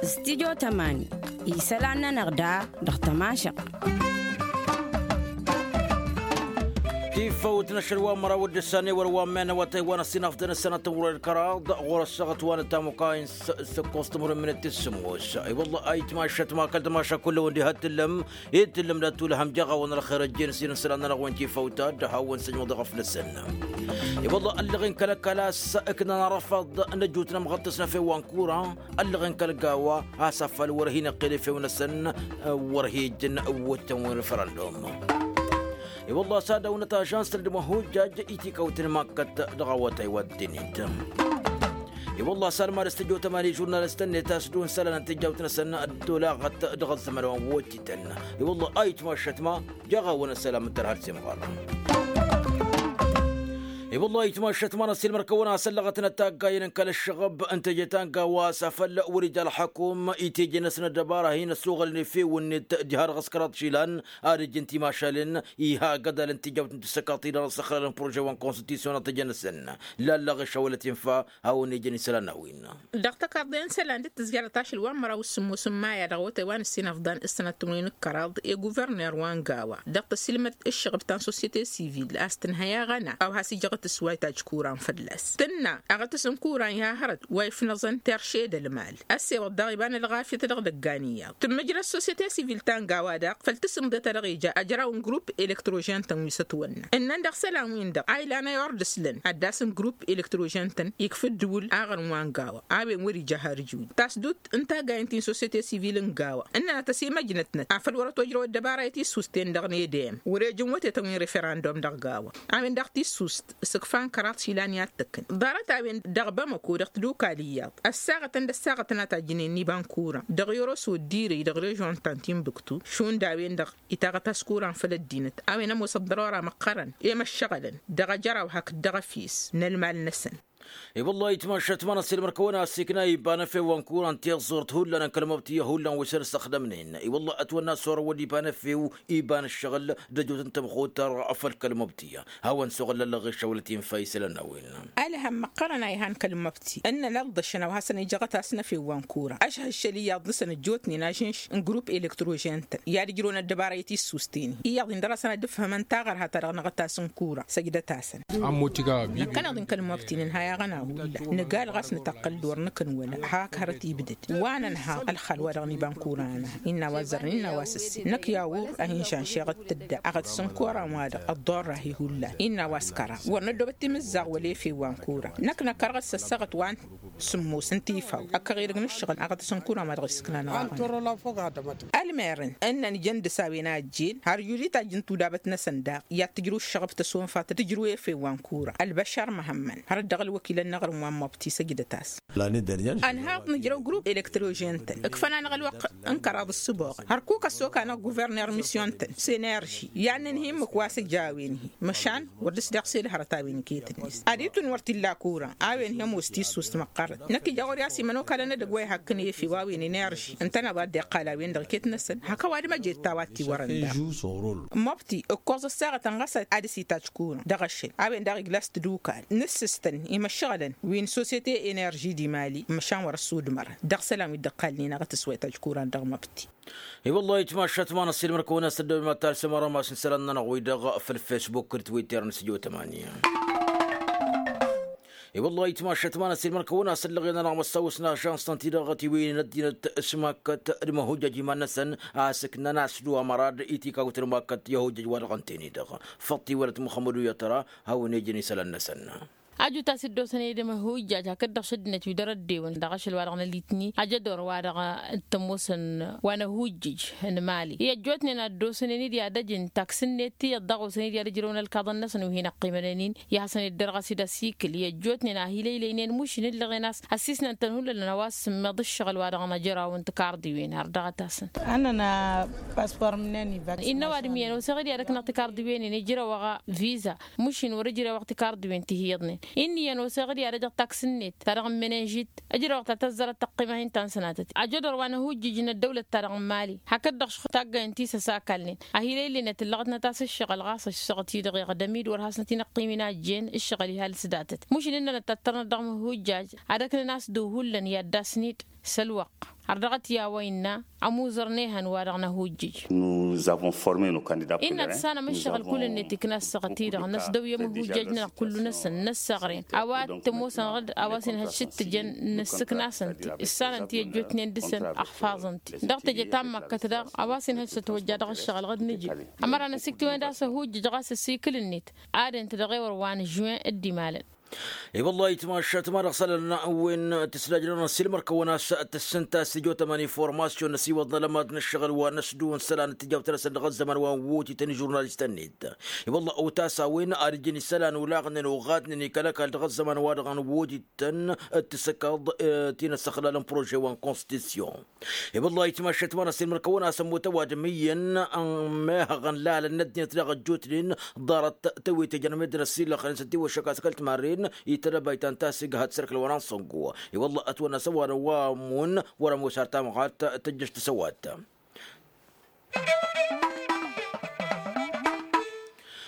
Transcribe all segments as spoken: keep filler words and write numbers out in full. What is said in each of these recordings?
Stidyo tămani isălan-nănăɣ da dăɣ-tămašăɣt. Tifăwt n-ašăl wa n-măraw d-ǝssan i-wăr wa n-men awătay wa n-ăssinăfḍăn ǝssanăt n-wăr-ălkăraḍ ɣur-ăssaɣăt wa n-ătamuka-in s-ǝkkos timǝrwen minăt-i s-sǝmmos. I-wălla ayǝtmašăt ma kăl-tămaša kull-wăn diha t-tǝllăm i-tǝllăm dat-tulhăm jaɣ-awăn ălxer ăjjeen s-inǝslan-nănăɣ-wen tifăwt a dd-hawăn-săjmăḍ i-ɣăflăsăn. I-wălla ăllăɣen kăl-ăkall a-s ǝknan arăfăḍ n-ăjut n-ămɣăṭṭăs n-efew wa n-kura ăllăɣen kăl-gawa a-s afăl wăr-hin-ăqqel efew-năsăn. Wăr-hi-ǝjǝn wăttăn wi n-referăndum. I-wălla a-s ad-dăwnăt ažans-tăn d-imăhujjaj itikawt n-imakkăt dăɣ-awătay wa dd-init. I-wălla a-s almad s-tǝjot ămani žurnalist-net a-s d-unsălăn n-tijjawt-năsăn dd-olaɣăt dăɣ-ăzzăman wa n-wăttităn. I-wălla a itmašăt ma jaɣ-awăn ăssălam n-tărha d-simɣăr. I-wălla a itmašăt ma n-ăssiilmăr-kăwăn a-s ăllăɣătnăt taggayen n-kăl-ǝššăɣăb n-teje ta n-gawa a-s afăl wăr-ija ălxăkum itejăn-năsăn ăddăbara hin-ăssuɣălăn efew-net diha dăɣ-s kăraḍ išilan ad-ǝjǝn timašalen. Iha agădal n-tijawt n-tǝssăkaḍt-i-dăɣ n-ăssăxrarăn prože wa n-konstitusyon a tejăn-năsăn. Lallăɣ išawălăt infa hawăn-ejăn isălan n-a-wen. Dăɣ-tăkarḍe n-isălan dd-tǝzjarăt ašăl wa n-măraw s-sǝmmos n-maya dăɣ-awătay wa n-ǝssin ăfḍan s-sănăt timǝrwen d-kăraḍ i-guvărner wa n-gawa dăɣ-tăsilmăd ǝššăɣb ta n-sosiyete sivil a-s tǝnhăy aɣăna a-wa has-ijăɣ tǝswayt ajkuran fălla-s tǝnna aɣătǝs n-kuran iha hărăt wa ifnăẓăn terše d-ălmal. Ăssewăḍ daɣ iba n-ălɣafyăt dăɣ-idăggan iyyăḍ tǝmmǝjrăd sosiyete sivil ta n-gawa daɣ făll-tǝsǝmḍe ta dăɣ-ija ajraw n-grupp elektrožen-tăn wi s-ătwănna ǝnnăn dăɣ-isălan-win-dăɣ a ilan ăyordǝslăn ad-dd-asǝn grupp elektrožen-tăn ikf ǝddǝwǝl aɣrǝm wa n-gawa. A-wen wăr-ija har ǝjwǝy tasdut n-taggayen ti n-sosiyete sivil n-gawa ǝnnănăt ăsimăjnătnăt afăl wăr-ătojrăw ăddăbara i-tissust-ten-dăɣ n-edem wăr-ejǝn wătetăn wi n-referăndum dăɣ-gawa. A-wen daɣ tissust s-ǝkfa n-kăraḍ išilan i-ad-tăkkǝn ḍarăt-a-wen dăɣ-bamăko dăɣ-tadukal iyyăḍ ăssaɣătăn d-ăssaɣătăn a tajjǝnen n-iba n-kura dăɣ-i oroso d-irǝy dăɣ-režon ta n-tinbǝktu šund a-wen-dăɣ ităɣăt-as kuran făll-ăddinăt a-wen ămoos ăḍḍărora măqqărăn i-măššăɣălăn dăɣ-ajăraw hakd dăɣ-efes n-ălmal-năsăn. I-wăllah itmašat ma n-ăssiilmăr-kăwăn a ăssiikna iba n-efew wa n-kuran tiẓẓurt hullan n-kăl-măbtiyya hullan wi s-ălsăxdămnen. I-wăllah ătwănna s-orăwăd iba n-efew iba n-ǝššăɣǝl d-ăjut n-tamxutar făll-kăl-măbtiyya hawăn-suɣǝl ăllăɣ išăwălăt infa isălan n-a-wen. Ălhăm măqqărăn a ihan kăl-măbti ǝnnăn ălḍăšăn a-wa hasăn-ijăɣăt a-s n-efew wa n-kura ăšhăššăl iyyăḍ-năsăn ăjjootnen ažǝnš n-grupp elektrožen-tăn i-ad-ǝjrăwăn ăddăbara i-tissust-en-hi iyyăḍ-in dăr-asăn ad-ǝfhǝmăn taɣărha ta dăɣ-năɣăt a-s n-kura săjdăt-asăn. Năkkăneḍ-in kăl-măbti nǝnhăy aɣăna hullan nǝgal ɣas nǝtăqqǝl d-wăr nǝkǝnwălăɣ hak hărăt ibdăd wa nǝnha ălxal wa dăɣ-nǝba n-kura-năhăn innă a-wa ăzzărăn innă a-wa s-ǝssin năkk i-a wăr-ăhinšanšeɣ d-tǝdda aɣăt s-n kora n-wa-dăɣ ăḍḍorra-hi hullan innă a-wa s-kăraḍ wăr năddoobăt timǝzzaɣ wăla efew wa n-kura năkk năkkărăɣ d-săssăɣăt wa n-sǝmmos n-tifaw ăkkăɣ edăgg n-ǝššăɣǝl aɣăt s-n kura ma dăɣ-isǝknan. Ălmerăn ǝnnăn ijăn dăr-s a-wen a ăjjeen har ijud-i tajjǝn tudabăt-năsăn daɣ i-ad-tǝjrǝw ǝššăɣăb tăsonfat d-tǝjrǝw efew wa n-kura ălbăšar măhămmăn har dd-dăɣ-ălwăkilăn n-aɣrǝm wa n-măbti săjdăt-as. Ănhaḍ nǝjrăw grupp elektrožen-tăn ǝkfăn-anăɣ ălwăqq n-kăraḍ ǝssǝboɣăn hărkuk ăssoka-năɣ guverner misyon-tăn s-enerži i-ad-nǝnhǝy ǝmmǝk wa s-ija a-wen-hi măšan wăr dăr-s deɣ s-elhărăt a-wen iket-net. Ad-itun wăr t-illa kura a-wen-hi ămoos tissust măqqărăt năkk ija ɣur-i a-s imănokalăn edăgg wa ihakkăn efew a-wen enerži ǝntăneḍ a dd-iqqal a-wen-dăɣ iket-năsăn hak ăwadǝm ăjed ta wa t-iwărăn daɣ. Măbti ǝkkoẓ ăssaɣătăn ɣas ad-dăr-s itajj kura dăɣ-ašăl a-wen daɣ igla s-tadukal n-ǝssǝstăn imăššăɣălăn wi n-sosyete enerži d-imali măšan wăr-ăssudmărăn dăɣ-isălan wi dd-ăqqalnen aɣătǝs wa itajj kura dăɣ-măbti. I-wăllah itmašat ma n-ăssiilmăr-kăwăn a-s dd-ăwima talsăm arămas n-isălan-nănăɣ wi-dăɣ făll-fesbuk d-twitter n-sǝjo tămani. I-wăllah itmašat ma n-ăssiilmăr-kăwăn a-s ăllăɣen-anăɣ măssawăs n-ažans-tăn-ti-dăɣ ătiwǝynen ăddinăt s-makkăt d-imăhujjăj iman-năsăn a-s ǝknăn a-s dd-wa mărad itikawt n-makkăt i-ahujjăj wa dăɣ-ǝnta-en-i-dăɣ făṭṭ-i wălăt muxămmăd uyătra hawăn-ejăn isălan-năsăn. Aju ta s-dd-osăn edăm ăhujjaj hakd-dăɣ šăddinăt wi dăr-ăddewăn dăɣ-ašăl wa dăɣ-nălitni ajădor wa dăɣ-tămoosăn wa n-ăhujjǝj n-mali i-ăjjootnen ad-dd-osănen-dd i-ad-ăjǝn taks-net tiyyăḍ dăɣ-osăn-dd i-ad-ǝjrăwăn ălkaḍăn-năsăn wi hin-ăqqimănăn-in i-ad-hasăn-dd-dăr ɣas-dd ăsikǝl i-ăjjootnen a hi-lăylăynen mušin ǝllăɣen a-s ăssiisnăn-tăn hullan a-wa s-sǝmmeḍ ǝššăɣǝl wa dăɣ-năjraw n-tikarḍiwen har dăɣ-tasăn. Ănnăna paspor mǝnăn iba innă ăwadǝm iyyăn osăɣ-dd i-ad-ăknăɣ tikarḍiwen-in ijrăwăɣ viza mušin wăr-ǝjrewăɣ tikarḍiwen ti hi-iyyăḍnen. Inn'-iyyăn oseɣ-dd i-ad-ăjăɣ taks-net ta dăɣ-n menenžit. Ǝjrăwăɣ ta tăzzarăt tăqqima hin-ta n-sănatăt ajădor wa n-ăhujjǝj n-ăddăwlăt ta dăɣ-n mali hakd-dăɣ šăx taggayăn ti s-ăsakalnen. Ahil ăylenăt ǝllăɣătnăt a-s ǝššăɣǝl ɣas ăššăɣăt-i-dăɣ iɣdăm-dd wăr hasnăt-in-ăqqim inajen ǝššăɣǝl ihal s-datăt mušǝl ǝnnănăt tattărnăt dăɣ-măhujjaj. Ad-ăknăn a-s dd-ohullan i-ad-dd-asnid s-ălwăqq. Har dăɣ-t i-a-wa innă ămuzăr n-ehăn wa-dăɣ n-ăhujjǝj. Innă ad-tǝssanăm ǝššăɣǝl kull-net ikna ăssaɣăt-i-dăɣ n-ăsdăwyăm ăhujjaj-nănăɣ kullu-năsăn n-ăssaɣren a-wa t-ămoosăn ɣǝd a-wa s-inhăj s-t-tǝjăn n-ǝssǝknasăn-t. Ǝssanăn-t i-ăjjootnen dăɣ-săn ăxfaẓăn-t dăɣ-teje ta n-măkkăt daɣ a-wa s-inhăj s-ătwăjja dăɣ-ǝššăɣǝl ɣǝd nǝjǝl. Ămăra n-ăsiktiwăn d-a-s ăhujjǝj ɣas ăsikǝl-net ad-ǝnta dăɣ-ewăr wa n-žuwen dd-imalăn. I-wăllah itmašat ma dăɣ-isălan wen tǝslajnănăɣ s-ilmăr-kăwăn a-s tǝssǝnta s-tijo tămani formasyon n-asiwăḍ n-alămad n-ǝššăɣǝl wa n-ăsdǝw n-isălan tǝjawt-năsăn dăɣ-ăzzăman wa n-wotităn ižurnalistăn-net. I-wăllah ăwtas a-wen ad-ǝjǝn isălan olaɣnen oɣatnen i-kăl-ăkall dăɣ-ăzzăman wa dăɣ-n wotităn d-tisǝkkaḍ ti n-ăssăxlal n-prože wa n-konstitisyon. I-wăllah itmašat ma n-ăssilmăr-kăwăn a-s ămmut ăwadǝm iyyăn n-mehăɣăn lalăn n-ăddinăt daɣ ăjjootnen ḍarăt tăwit ijăn meddǝn ăssiilăxnen s-ătiwăššăk a-s kăl-timarren itădăbay ta n-tasǝghăt s-erk ălwănăn săngo. I-wăllah ătwănna s-ăwadǝm wa ămmun wăr-ămoos ar tamɣart tăjjăš tăsăwat.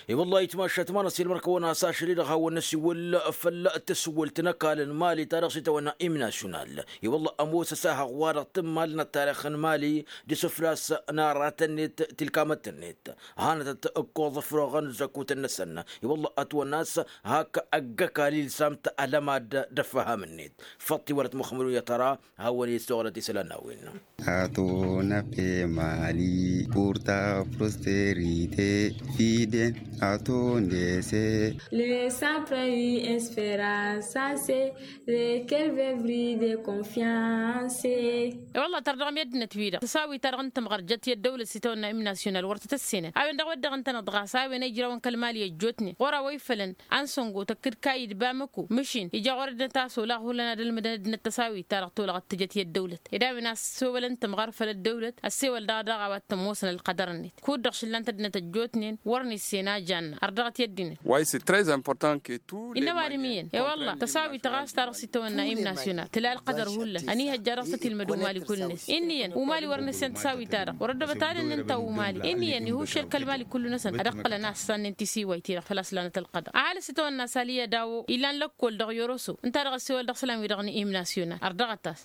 I-wăllah itmašat ma n-ăssilmăr-kăwăn a-s ašăl-i-dăɣ hawăn-năsiwǝl făll-tǝswǝlt n-ăkall n-mali ta dăɣ-s itawănna imnasyunal. I-wăllah ămoos ăsahăɣ wa dăɣ-tǝmmal n-ăttarix n-mali d-isǝflas n-aratăn-net tilkamăt-net. Hanătăt ǝkkoẓ ăfroɣăn zăkutăn-năsăn. I-wăllah ătwănna a-s hak ăgg-ăkall ilsam-t ălămad d-ăffăham-net. Făṭṭ-i wălăt muxămmăd unyăt ara hawăn-i s-oɣlăt isălan n-a-wen. Ato n-ape mali purta prosterite fiden ato ndese. Le sapre i esperansa se. Lekel vevri de konfyanse. I-wălla tărdăɣ meddǝnăt-wi-dăɣ tăsawi-ta-dăɣ n-tămɣăr jăt i-ăddăwlăt s-itawănna imnasyonal wăr tăt-ăssenăn a-wen dăɣ-wădden ǝntăneḍ ɣas a-wen ejrawăn kăl-mali ăjjootnen ɣur-a-wa ifălăn. Ansăngo tăkkǝd kayǝd bamăko mǝšin ija ɣur-ăddinăt a-s olaɣ hullan ad-ălmǝdăn ăddinăt tăsawi-ta-dăɣ tolăɣăt tǝjăt i-ăddăwlăt ed a-wen a-s sowălăn tămɣăr făll-ăddăwlăt ăssewăl daɣ daɣ a-wa t-ămoosăn ălqădăr-net. Kud-dăɣ šǝllan-t ăddinăt ăjjootnen wăr nǝssen a janna ărdăɣăt i-ăddinăt. Wa ise très important que tout inna ăwadǝm iyyăn i-wălla tăsawit ɣas ta dăɣ-s itawănna imnasyonal tǝla ălqădăr hullan ănihăjja dăɣ-s ătilmăd umali kull-net. Inn'-iyyăn umali wăr nǝssen tăsawit-ta-dăɣ wăr-ăddăbăt ad-ǝnnǝnta umali. Inn'-iyyăn ihusšel kăl-mali kullu-năsăn ad-ăqqǝlăn a-s sannen tisiway-ti-dăɣ făl-a-s lanăt ălqădăr ăhalǝs itawănna saliya dawo ilan lăkkol dăɣ-yoroso ǝnta-dăɣ ăssewăl dăɣ-isălan-wi-dăɣ n-imnasyonal ărdăɣăt-as.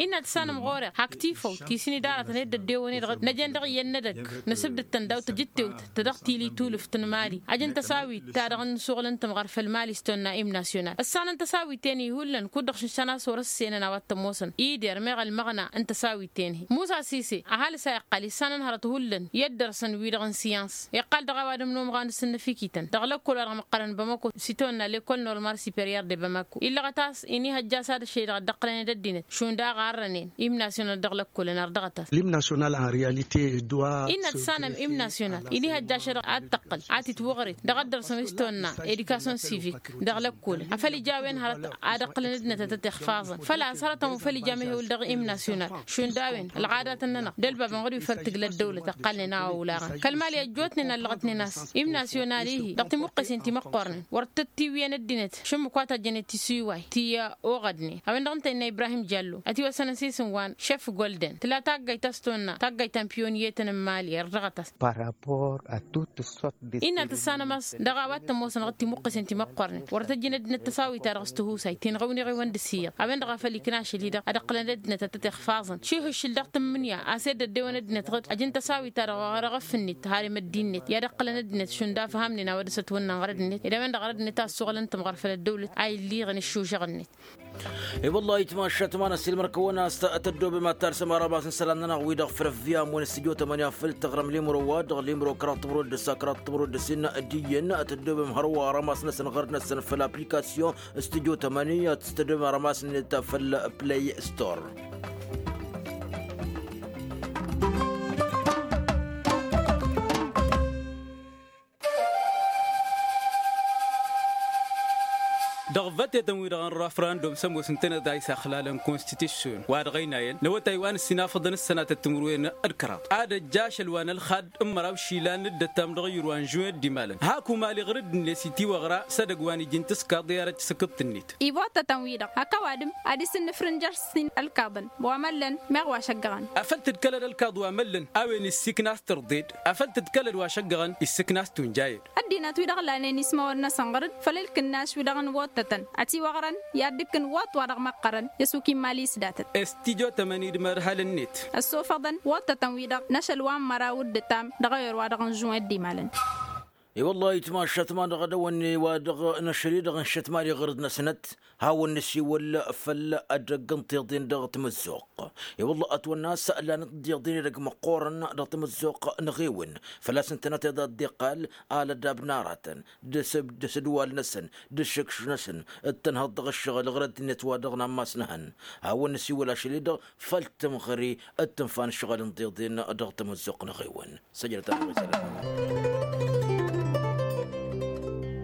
Innă tǝssanăm ɣur-e hak tifăwt ti s-in-idaratăn i-dd-ăddewăn-i-dăɣ năjăn dăɣ-iyyăn n-edăgg nǝsǝbdǝd-tăn daw-tăjǝttewt ta dăɣ-tili tulǝft n-mali. Ăj n-tăsawit-ta-dăɣ n-suɣǝl n-tǝmɣăr făll-mali s-tonna imnasyonal ǝssanăn tăsawit-en-hi hullan kud-dăɣ šǝnšan a-s wăr-ǝssenăn a-wa t-ămoosăn. Ider meɣ ălmăɣna n-tăsawit-en-hi musa sise ăhalǝs a iqqăl issanăn hărăt hullan i-ăddărsăn-wi-dăɣ n-siyans iqqăl dăɣ-ăwadǝm n-omɣan s-ǝnnăfikităn dăɣ-lăkkol wa dăɣ-măqqărăn bamako s-itawănna lekol normal superior de bamako. Illăɣăt a-s inihăjja s-ad-ăššăy-dăɣ dd-ăqqălăn d-ăddinăt šund a ɣarrănen imnasyonal dăɣ-lăkkolăn ărdăɣăt-as. L'hymne national en realite doit innă tǝssanăm imnasyonal inihăjja ašăl-dăɣ ad-tăqqăl ad-t-itwăɣret dăɣ-ăddărsăm s-tonna edikasyon sivik dăɣ-lăkkolăn afăl ija a-wen hărăt ad-ăqqǝlăn ăddinăt a tăt-ixfaẓăn făl-a-s hărătăn wa făl ija mehewǝl dăɣ-imnasyonal šund a-wen ălɣadatăn-nănăɣ d-ălbabăn ɣur-wi făl tǝgla ăddăwlăt ăqqalnen a-wa olaɣăn kăl-mali ăjjootnen ăllăɣătnen a-s imnasyonal-i-hi dăɣ-timuqqesen ti măqqornen wăr tăt-tiwǝyăn ăddinăt šǝmmǝk wa tăjjănet tisiway ti oɣădnen a-wen-dăɣ ǝnta innă ibrahim jallo ătiwăsăn ăsisǝn wa n-šef golden tǝla taggayt a-s tonna taggayt ta n-piyonyetăn n-mali ărdăɣăt-as. Par rapport a tut sot de innă tǝssanăm a-s dăɣ-a-wa t-ămoosănăɣ d-timuqqesen ti măqqornen wăr tăjjăn ăddinăt tăsawit-ta-dăɣ s-tihusayt ti n-ɣăwniɣ-i-wăn d-ǝssiyăḍ a-wen-dăɣ a făl ikna ašăl-i-dăɣ ad-ăqqǝlăn ăddinăt ad-tăt-ixfaẓăn šihǝššǝl dăɣ-tǝmmǝnǝya a-s edd ăddewăn ăddinăt ɣǝd ăj n-tăsawit-ta-dăɣ ɣur-eɣăf-net harem ăddin-net i-ad-ăqqǝlăn ăddinăt šund afham-nen a-wa dăɣ-s ătwănnăn ɣăr ăddinăt ed a-wen-dăɣ ɣăr ăddinăt a ăssuɣǝlăn tǝmɣăr făll-ăddăwlăt a illiɣăn ǝššužăɣ-net. I-wăllah itmašat ma n-ăssiilmăr-kăwăn a-s tăddobem ad-talsăm arămas n-isălan-nănăɣ wi-dăɣ făll-ăvviyam wen s-tijo tămănǝya făll-tăɣrăm limro wa dăɣ-limro kăraḍ timǝrwăt d-ǝssa kăraḍ timǝrwăt d-ǝssin d-iyyăn tăddobem hărwa arămas-năsăn ɣărd-năsăn făll-aplikasyon s-tijo tămănǝya ad-tăddobem arămas-net făll-play store. Dăɣ-vătetăn-wi-dăɣ n-rafrandum s-ămoos ǝntăneḍ a isaxlalăn konstitisyon wa dăɣ-ăynayăn n-awătay wa n-ǝssinafăḍăn s-sănatăt timǝrwen d-kăraḍ ad-ăjja ašăl wa n-ălxad n-măraw išilan n-dd-ăttam dăɣ-iyyăr wa n-žuwen d-imalăn hak umali ɣǝr-dd-net itiwăɣra s-edăgg wa n-iji n-tiskaḍ i-arăt s-akǝḍt-net. Ibottătăn-wi-dăɣ hăkkăwadǝm ad-isǝnnǝfrǝnjăr s-in-ălkaḍăn wa măllăn meɣ wa šăggăɣăn. Afăl tǝdkălăd ălkaḍ wa măllăn a-wen issikna s-tărḍed afăl tǝdkălăd wa šăggăɣăn issikna s-tunjayed. Ăddinăt-wi-dăɣ lanen ismawăn-năsăn ɣăr-dd făll-ilkǝnnaš-wi-dăɣ n-wottătăn ătiwăɣrăn i-ad-dd-ǝkkǝn wăṭ wa dăɣ-măqqărăn i-ăsuk imali s-datăt. Estijotămăn-dd imărhal-net. Ăssofăḍăn wottătăn-wi-dăɣ n-ašăl wa n-măraw d-ǝttam dăɣ-ayăr wa dăɣ-nǝžžǝwăn d-imalăn. I-wăllah itmašat ma dăɣ-edăwănne wa dăɣ-năšăl-i-dăɣ n-šăt mali ɣur-dd-năsnăt hawăn-năsiwăl făll-edăgg n-tiḍen dăɣ-tamăzzuɣt. I-wăllah ătwănna a-s lanăt d-iḍen edăgg măqqoorăn dăɣ-tamăzzuɣt n-eɣewăn făl-a-s ǝntănăt iḍa dd-iqqal alădab n-aratăn d-asǝdwal-năsăn d-ašǝkš-năsăn d-tănhăḍ dăɣ-ǝššăɣǝl ɣur-ăddinăt wa dăɣ-nammas n-ehăn. Hawăn-năsiwăl ašăl-i-dăɣ făll-tǝmɣări d-tǝnfa n-ǝššăɣǝl n-tiḍen dăɣ-tamăzzuɣt n-eɣewăn. Săjdăt-anăɣ.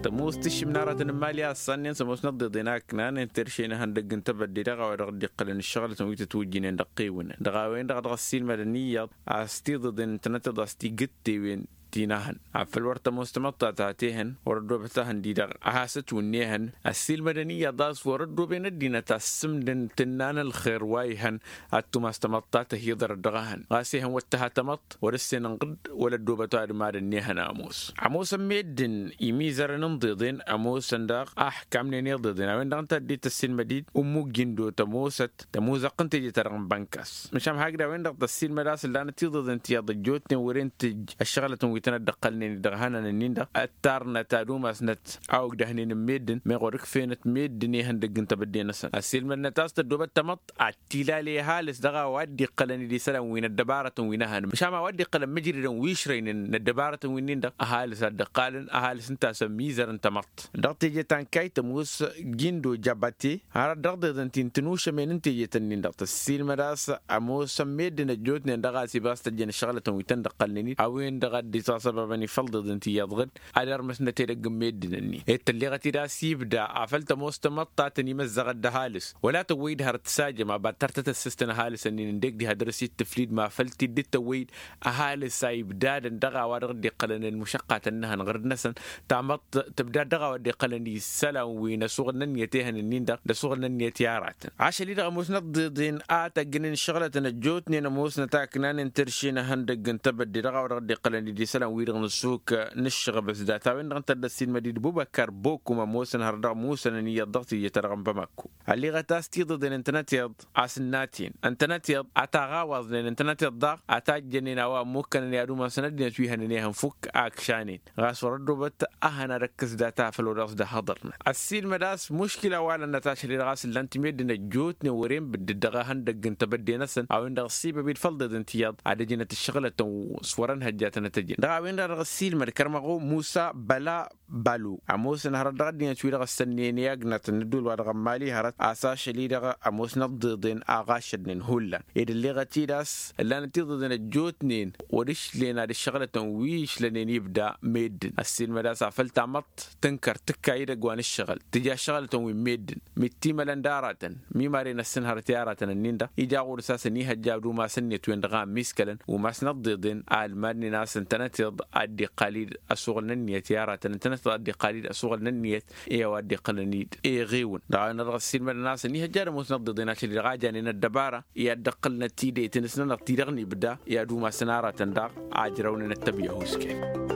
Tămoos tǝššǝm n-aratăn n-imali a ăṣṣannen s-ămoosnăt d-iḍen a ǝknanen terše n-ehăndăgg n-tebădde dăɣ-a-wa dăɣ-dd-iqqălăn ǝššăɣlătăn wi tătwǝjjǝnen dăɣ-iwǝnăn dăɣ-a-wen-dăɣ dăɣ-ăssiilmădăn iyyăḍ a-s tiḍeḍen ǝntănăt iḍas ti gǝtte-wen ti n-ahăn afăl wăr tămoos tamăḍtat a t-ehăn wăr-ăddoobăt ahăn-di-dăɣ a has-ătwǝnnehăn. Ăssiilmădăn iyyăḍ a-s wăr-ăddooben ăddinăt a ăssǝmdăn tǝnna n-ălxer wa ihăn ad-tumas tamăḍt ta tăhiḍărăt dăɣ-ehăn ɣas ehăn wăr tǝha tamăḍt wăr-ǝssenănɣ-dd wăla ăddoobăt wa-dăɣ-mad-ănnihăn ămoos. Ămoosăn meddǝn imizărăn n-iḍeḍen ămoosăn daɣ a ăḥkamnen iḍeḍen a-wen-dăɣ ǝnta dd-tăssinmăd-dd ummu gindo tămoosăt tămuzăɣt n-teje-ta-dăɣ n-bănkas măšan hakd a-wen-dăɣ tăssinmăd a-s ǝllanăt iḍeḍen tiyyăḍ ăjjootnen wăren tǝjj ăššăɣlătăn wi tănăt-dd-ăqqălnen-dd dăɣ-ihănan-ǝnnin-dăɣ ăttarnăt ad-umasnăt a ogdăhnen n-meddǝn meɣ wăr-ǝkfenăt meddǝn ihăndăgg n-tebădde-năsăn ăssiilmădnăt a-s tăddoobăt tamăḍt ad-t-ilale ăhalǝs dăɣ-a-wa dd-iqqălăn d-isălan wi n-ăddăbarătăn wi n-ehănăm măšan a-wa dd-iqqălăn mǝjridăn wi ǝšrăynen n-ăddăbarătăn wi-nin-dăɣ ăhalǝs ad-dd-ǝqqalăn ăhalǝs ǝnta a-s ămmizărăn tamăḍt. Dăɣ-teje ta n-kayt ămoos gindo jabate hărăt dăɣ-deḍăn ti n-tinušămen n-teje-tăn-nin-dăɣ tăssiilmăd a-s ămoosăn meddǝn ăjjootnen dăɣ-a-s ibas tăjjăn ăššăɣlătăn wi tăn-dd-ăqqălnen-dd a-wen-dăɣ a dd-itasăbabăn ifăl deḍen ti iyyăḍ ɣǝd ad-ărmăsnăt edăgg n-meddǝn-ǝnnin ed tălleɣăt-dd a-s ibda afăl tămoos tamăḍt ta tăn-imăzzăɣăt d-ăhalǝs wăla tăwwăy-dd hărăt tǝsajăm abattăr tăt-ăssǝstăn ăhalǝs-ǝnnin ǝndek diha dăr-s ittǝflid ma făl t-dd-tăwwăy-dd ăhalǝs a ibdadăn dăɣ-a-wa dăɣ-dd-iqqălăn ălmušăqqatăn n-ehăn ɣǝrǝd-năsăn tamăḍt tǝbdad dăɣ-a-wa dd-iqqălăn isălan wi n-asuɣǝl n-ănniyăt ehăn-ǝnnin-dăɣ d-asuɣǝl n-ănniyăt i-aratăn. Ašăl-i-dăɣ ămoosnăt d-iḍen a tăggǝnen ǝššăɣlătăn ăjjootnen ămoosnăt a ǝknanen terše n-ehăndăgg n-tebădde dăɣ-a-wa dăɣ-dd-iqqălăn d-isălan-wi-dăɣ n-ăssuk n-ǝššăɣbǝs data-wen-dăɣ ǝnta a dd-ăssiilmăd-dd bubăkar bokum ămoosăn hărăt dăɣ-musănăn iyyăḍ dăɣ-teje-ta-dăɣ n-bamako. Ălleɣăt a-s tiḍeḍen ǝntănăt iḍ a-s ǝnnatăn ǝntănăt iḍ a taɣawăẓnen ǝntănăt iḍ daɣ a tajjănen a-wa ămmukkănăn i-ad-umasăn ăddinăt wi hănen ehăn fukk a ǝkšanen ɣas wăr-ăddoobăt ahăn ad-ăkkǝs data făll-wăr dăɣ-s dd-ăhhăḍărnăt. Ăssiilmăd a-s muškila wa lănnăt ašăl-i-dăɣ a-s ǝllan-t meddǝn ăjjootnen wăren bǝddǝd dăɣ-ehăndăgg n-tebădde-năsăn a-wen-dăɣ ăssibăb-dd făll-deḍen tiyyăḍ ad-ăjǝnăt ǝššăɣǝlătăn s-wărăn hăjjatăn ad-t-ăjǝn dăɣ-a-wen-dăɣ dăɣ-ăssiilmăd kărmăɣ-u musa băla balu ămoosăn hărăt dăɣ-ăddinăt wi-dăɣ ăssănnen i-agnatăn n-ădduul wa dăɣ-ămmali hărăt a-s ašăl-i-dăɣ ămoosnăt d-iḍen a ɣašădnen hullan ed ălleɣăt-dd a-s ǝllanăt iḍeḍen ăjjootnen wăr-išlen ad-ǝššăɣǝlătăn wi išlănen ibda meddǝn ăssiilmăd a-s afăl tamăḍt tǝnkăr tǝkka idăgg wa n-ǝššăɣǝl tǝja ǝššăɣǝlătăn wi n-meddǝn mi t-imălăn d-aratăn mi maren ăssǝnhărăt i-aratăn-ǝnnin-dăɣ ija ɣur-s a-s ănihăjja ad-umasăn-net-wen-dăɣ a ămmiskălăn umasnăt d-iḍen a ălmadnen a-s ǝntănăt iḍ a dd-iqqal-dd ăsuɣǝl n-ǝnniyăt i-aratăn ǝntănăt iḍ a dd-iqqal-dd ăsuɣǝl n-ǝnniyăt i-a-wa dd-iqqălăn-dd eɣewǝn dăɣ-a-wen-dăɣ ăssiilmădăn a-s ănihăjja ad-ămoosnăt d-iḍen ašăl-i-dăɣ a janen ăddăbara i-ad-dd-ăqqǝlnăt tidăyt-năsnănăɣ ti-dăɣ n-ibda i-ad-umasăn aratăn daɣ a ǝjrăwnen ăttăbyahu s-kăyy.